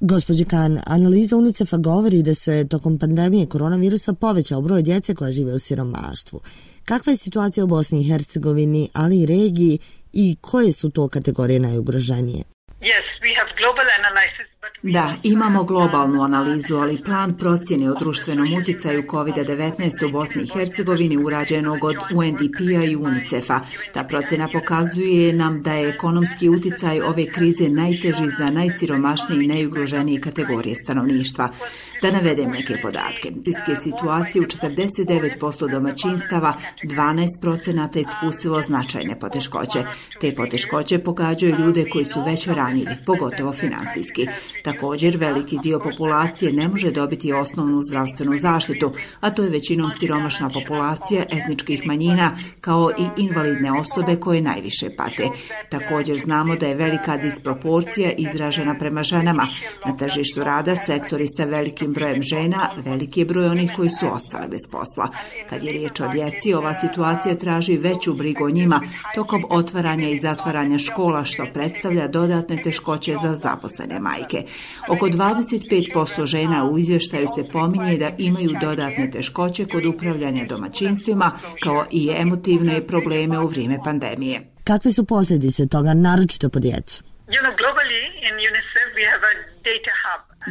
Gospođi Khan, analiza UNICEF-a govori da se tokom pandemije koronavirusa povećao broj djece koja žive u siromaštvu. Kakva je situacija u Bosni i Hercegovini, ali i regiji, i koje su to kategorije najugroženije? Da, imamo globalnu analizu, ali plan procjene o društvenom utjecaju COVID-19 u Bosni i Hercegovini urađenog od UNDP-a i UNICEF-a. Ta procjena pokazuje nam da je ekonomski utjecaj ove krize najteži za najsiromašnije i najugroženije kategorije stanovništva. Da navedem neke podatke. Iz situacije u 49% domaćinstava 12% iskusilo značajne poteškoće. Te poteškoće pogađaju ljude koji su već ranjivi, pogotovo finansijski. Također, veliki dio populacije ne može dobiti osnovnu zdravstvenu zaštitu, a to je većinom siromašna populacija etničkih manjina, kao i invalidne osobe koje najviše pate. Također znamo da je velika disproporcija izražena prema ženama. Na tržištu rada sektori sa velikim brojem žena, veliki je broj onih koji su ostale bez posla. Kad je riječ o djeci, ova situacija traži veću brigu o njima tokom otvaranja i zatvaranja škola, što predstavlja dodatne teškoće za zaposlene majke. Oko 25% žena u izvještaju se pominje da imaju dodatne teškoće kod upravljanja domaćinstvima, kao i emotivne probleme u vrijeme pandemije. Kakve su posljedice toga, naročito po djecu?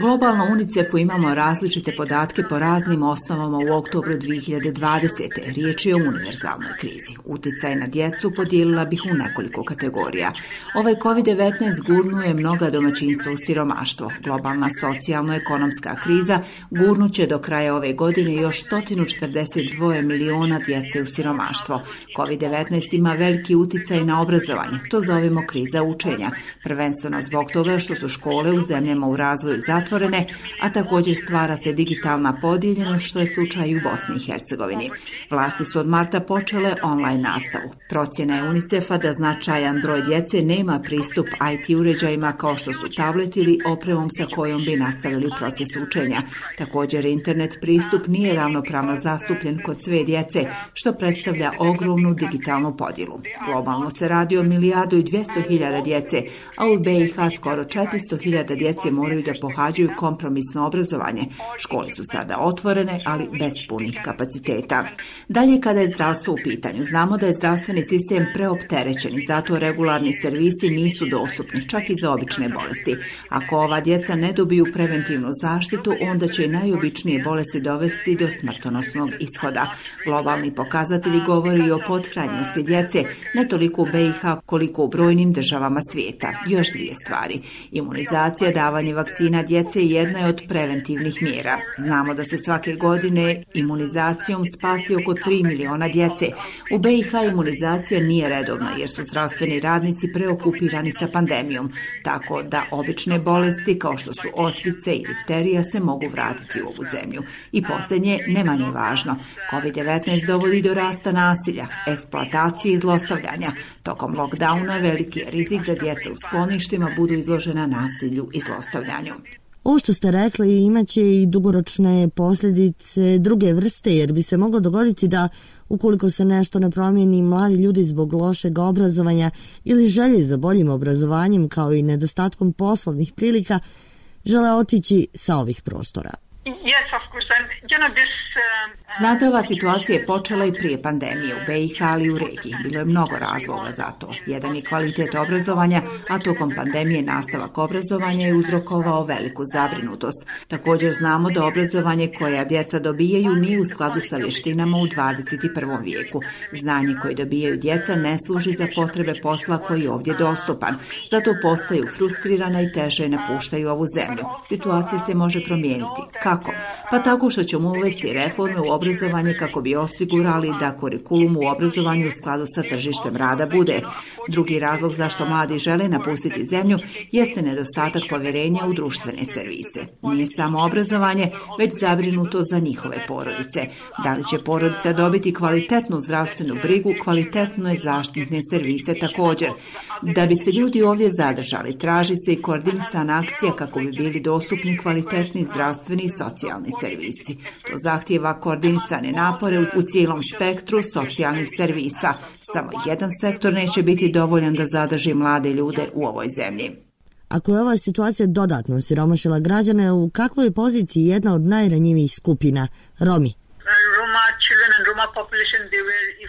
Globalno u UNICEF-u imamo različite podatke po raznim osnovama u oktobru 2020. Riječ je o univerzalnoj krizi. Utjecaj na djecu podijelila bih u nekoliko kategorija. Ovaj COVID-19 gurnuje mnoga domaćinstva u siromaštvo. Globalna socijalno-ekonomska kriza gurnuće do kraja ove godine još 142 miliona djece u siromaštvo. COVID-19 ima veliki utjecaj na obrazovanje. To zovemo kriza učenja. Prvenstveno zbog toga što su škole u zemljama u razvoju zatvorene, a također stvara se digitalna podijeljenost, što je slučaj i u Bosni i Hercegovini. Vlasti su od marta počele online nastavu. Procjena je UNICEF-a da značajan broj djece nema pristup IT uređajima kao što su tablet ili opremom sa kojom bi nastavili proces učenja. Također, internet pristup nije ravnopravno zastupljen kod sve djece, što predstavlja ogromnu digitalnu podjelu. Globalno se radi o 1.200.000 djece, a u BiH skoro 400.000 djece moraju da pohađaju kompromisno obrazovanje. Škole su sada otvorene, ali bez punih kapaciteta. Dalje, kada je zdravstvo u pitanju, znamo da je zdravstveni sistem preopterećen i zato regularni servisi nisu dostupni, čak i za obične bolesti. Ako ova djeca ne dobiju preventivnu zaštitu, onda će i najobičnije bolesti dovesti do smrtonosnog ishoda. Globalni pokazatelji govori o pothranjenosti djece, ne toliko u BiH koliko u brojnim državama svijeta. Još dvije stvari. Imunizacija, davanje vakcina djece jedna je od preventivnih mjera. Znamo da se svake godine imunizacijom spasi oko 3 miliona djece. U BiH imunizacija nije redovna jer su zdravstveni radnici preokupirani sa pandemijom, tako da obične bolesti kao što su ospice i difterija se mogu vratiti u ovu zemlju. I posljednje, ne manje važno, COVID-19 dovodi do rasta nasilja, eksploatacije i zlostavljanja. Tokom lockdowna veliki je rizik da djeca u skloništima budu izložena nasilju i zlostavljanju. Ovo što ste rekli imaće i dugoročne posljedice druge vrste, jer bi se moglo dogoditi da ukoliko se nešto ne promijeni, mladi ljudi zbog lošeg obrazovanja ili želje za boljim obrazovanjem kao i nedostatkom poslovnih prilika žele otići sa ovih prostora. Znate, ova situacija je počela i prije pandemije u BiH, ali i u regiji. Bilo je mnogo razloga za to. Jedan je kvalitet obrazovanja, a tokom pandemije nastavak obrazovanja je uzrokovao veliku zabrinutost. Također znamo da obrazovanje koje djeca dobijaju nije u skladu sa vještinama u 21. vijeku. Znanje koje dobijaju djeca ne služi za potrebe posla koji je ovdje dostupan. Zato postaju frustrirana i teže napuštaju ovu zemlju. Situacija se može promijeniti. Kako? Pa tako što ćemo uvesti reforme u obrazovanje kako bi osigurali da kurikulum u obrazovanju u skladu sa tržištem rada bude. Drugi razlog zašto mladi žele napustiti zemlju jeste nedostatak povjerenja u društvene servise. Nije samo obrazovanje, već zabrinuto za njihove porodice. Da li će porodica dobiti kvalitetnu zdravstvenu brigu, kvalitetne zaštitne servise također. Da bi se ljudi ovdje zadržali, traži se i koordinisana akcija kako bi bili dostupni kvalitetni zdravstveni i socijalni servisi. To zahtijeva koordinisane napore u cijelom spektru socijalnih servisa. Samo jedan sektor neće biti dovoljan da zadrži mlade ljude u ovoj zemlji. Ako je ova situacija dodatno siromašila građane, u kakvoj je poziciji jedna od najranjivijih skupina, Romi?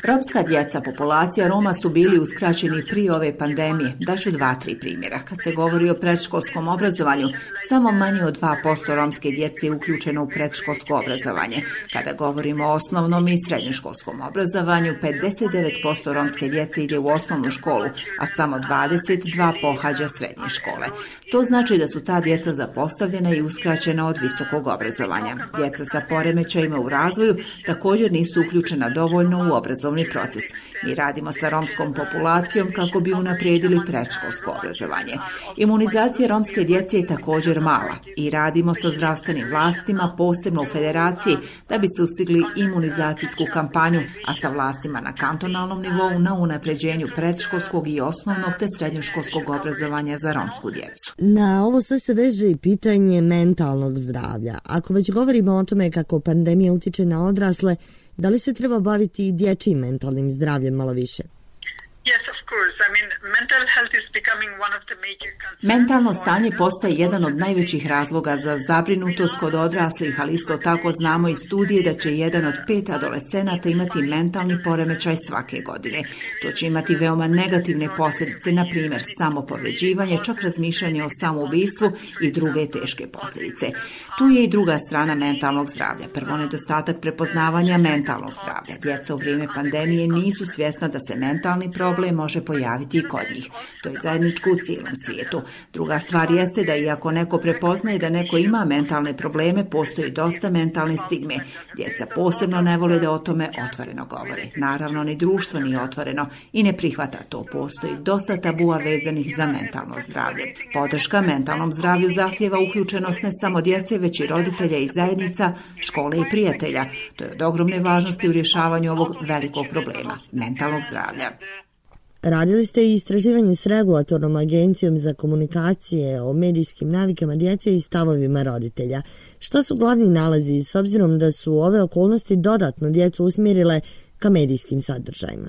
Romska djeca, populacija Roma su bili uskraćeni prije ove pandemije. Daću 2-3 primjera. Kad se govori o predškolskom obrazovanju, samo manje od 2% romske djece je uključeno u predškolsko obrazovanje. Kada govorimo o osnovnom i srednjoškolskom obrazovanju, 59% romske djece ide u osnovnu školu, a samo 22% pohađa srednje škole. To znači da su ta djeca zapostavljena i uskraćena od visokog obrazovanja. Djeca sa poremećajima u razvoju također nisu uključena dovoljno u obrazovni proces. Mi radimo sa romskom populacijom kako bi unaprijedili predškolsko obrazovanje. Imunizacija romske djece je također mala i radimo sa zdravstvenim vlastima, posebno u federaciji, da bi sustigli imunizacijsku kampanju, a sa vlastima na kantonalnom nivou na unapređenju predškolskog i osnovnog te srednjoškolskog obrazovanja za romsku djecu. Na ovo sve se veže i pitanje mentalnog zdravlja. Ako već govorimo o tome kako pandemija utiče na odrasle, da li se treba baviti i dječjim mentalnim zdravljem malo više? Mentalno stanje postaje jedan od najvećih razloga za zabrinutost kod odraslih, ali isto tako znamo iz studije da će 1 od 5 adolescenata imati mentalni poremećaj svake godine. To će imati veoma negativne posljedice, na primjer samopovređivanje, čak razmišljanje o samoubistvu i druge teške posljedice. Tu je i druga strana mentalnog zdravlja. Prvo, nedostatak prepoznavanja mentalnog zdravlja. Djeca u vrijeme pandemije nisu svjesna da se mentalni problem može pojaviti i kod njih. To je zajedničko u cijelom svijetu. Druga stvar jeste da iako neko prepoznaje da neko ima mentalne probleme, postoji dosta mentalne stigme. Djeca posebno ne vole da o tome otvoreno govore. Naravno, ni društvo nije otvoreno i ne prihvata to. Postoji dosta tabua vezanih za mentalno zdravlje. Podrška mentalnom zdravlju zahtijeva uključenost ne samo djece, već i roditelja i zajednica, škole i prijatelja. To je od ogromne važnosti u rješavanju ovog velikog problema, mentalnog zdravlja. Radili ste i istraživanje s regulatornom agencijom za komunikacije o medijskim navikama djece i stavovima roditelja. Šta su glavni nalazi s obzirom da su ove okolnosti dodatno djecu usmjerile ka medijskim sadržajima?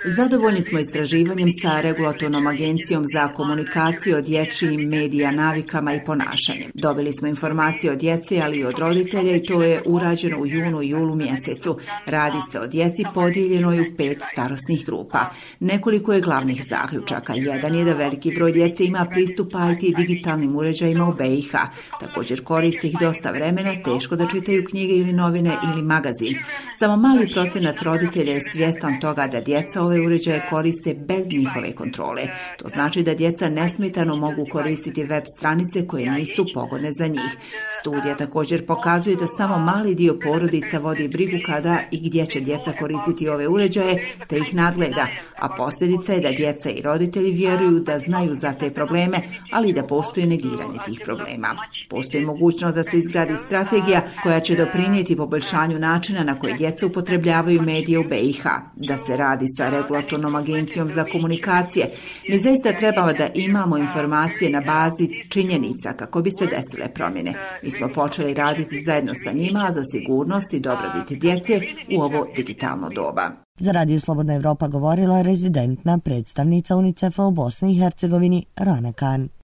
Zadovoljni smo istraživanjem sa regulatornom agencijom za komunikaciju o dječjim medija navikama i ponašanjem. Dobili smo informacije od djece, ali i od roditelja i to je urađeno u junu i julu mjesecu. Radi se o djeci podijeljenoj u 5 starosnih grupa. Nekoliko je glavnih zaključaka. Jedan je da veliki broj djece ima pristup IT digitalnim uređajima u BiH. Također koriste ih dosta vremena, teško da čitaju knjige ili novine ili magazin. Samo mali procenat roditelja je svjestan toga da djeca ove uređaje koriste bez njihove kontrole. To znači da djeca nesmetano mogu koristiti web stranice koje nisu pogodne za njih. Studija također pokazuje da samo mali dio porodica vodi brigu kada i gdje će djeca koristiti ove uređaje, te ih nadgleda, a posljedica je da djeca i roditelji vjeruju da znaju za te probleme, ali i da postoji negiranje tih problema. Postoji mogućnost da se izgradi strategija koja će doprinijeti poboljšanju načina na koji djeca upotrebljavaju medije u BiH, da se radi sa regulatornom agencijom za komunikacije. Mi zaista trebamo da imamo informacije na bazi činjenica kako bi se desile promjene. Mi smo počeli raditi zajedno sa njima za sigurnost i dobrobit djece u ovo digitalno doba. Za Radio Slobodna Evropa govorila rezidentna predstavnica UNICEF-a u Bosni i Hercegovini Rana Khan.